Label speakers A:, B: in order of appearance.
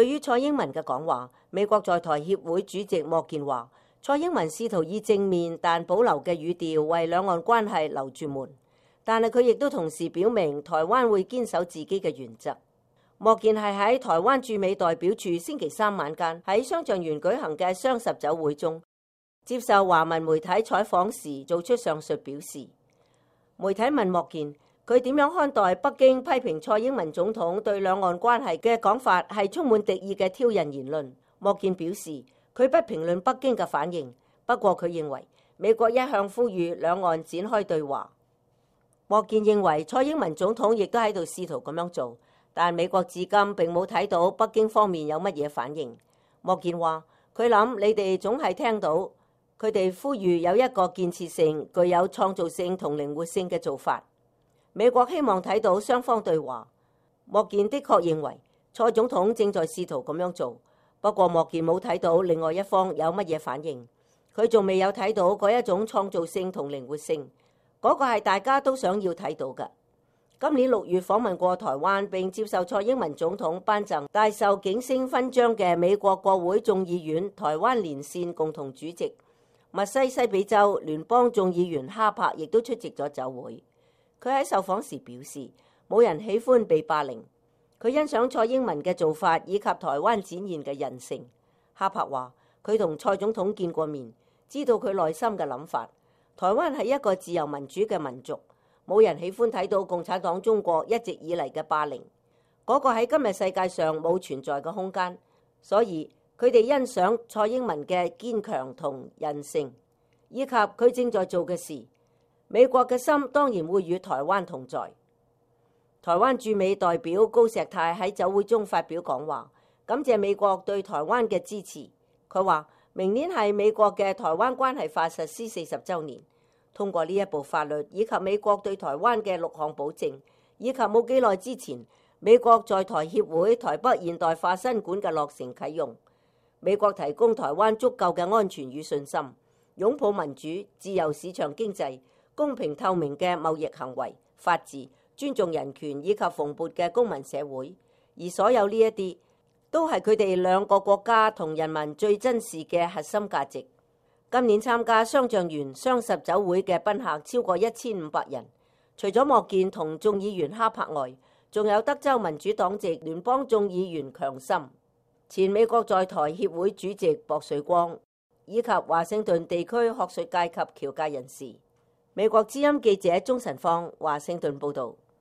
A: 對於蔡英文嘅講話，美國在台協會主席莫健話，蔡英文試圖以正面但保留嘅語調為兩岸關係留住門，但係佢亦都同時表明台灣會堅守自己嘅原則。莫健係喺台灣駐美代表處星期三晚間喺雙橡園舉行嘅雙十酒會中接受華文媒體採訪時做出上述表示。媒體問莫健，佢點樣看待北京批評蔡英文總統對兩岸關係嘅講法係充滿敵意嘅挑釁言論？莫健表示，佢不評論北京嘅反應，不過佢認為美國一向呼籲兩岸展開對話。莫健認為蔡英文總統亦都喺度試圖咁樣做，但美國至今並冇睇到北京方面有乜嘢反應。莫健話，佢諗你哋總係聽到佢哋呼籲有一個建設性、具有創造性同靈活性嘅做法。美國希望睇到雙方對話。莫健的確認為蔡總統正在試圖咁樣做，不過莫健冇睇到另外一方有乜嘢反應，佢仲未有睇到嗰一種創造性同靈活性，嗰個係大家都想要睇到嘅。今年6月訪問過台灣並接受蔡英文總統頒贈大綬景星勳章嘅美國國會眾議院台灣連線共同主席密西西比州聯邦眾議員哈柏亦都出席咗酒會。佢喺受訪時表示，冇人喜歡被霸凌。佢欣賞蔡英文嘅做法以及台灣展現嘅韌性。哈柏話，佢同蔡總統見過面，知道佢內心嘅諗法。台灣係一個自由民主嘅民族，冇人喜歡睇到共產黨中國一直以嚟嘅霸凌，嗰個喺今日世界上冇存在嘅空間。所以佢哋欣賞蔡英文嘅堅強同韌性，以及佢正在做嘅事。美國嘅心當然會與台灣同在。台灣駐美代表高石泰喺酒會中發表講話，感謝美國對台灣嘅支持。佢話，明年係美國嘅台灣關係法實施40週年，通過呢一部法律以及美國對台灣嘅6項保證，以及冇幾耐之前美國在台協會台北現代化新館嘅落成啟用，美國提供台灣足夠嘅安全與信心，擁抱民主、自由市場經濟、公平透明嘅貿易行為、法治、尊重人權以及蓬勃嘅公民社會，而所有呢一啲都係佢哋兩個國家同人民最珍視嘅核心價值。今年參加雙橡園雙十酒會嘅賓客超過1500人，除咗莫健同眾議員哈柏外，仲有德州民主黨籍聯邦眾議員強森、前美國在台協會主席薄瑞光，以及華盛頓地區學術界及僑界人士。美國之音記者鍾晨芳華盛頓報道。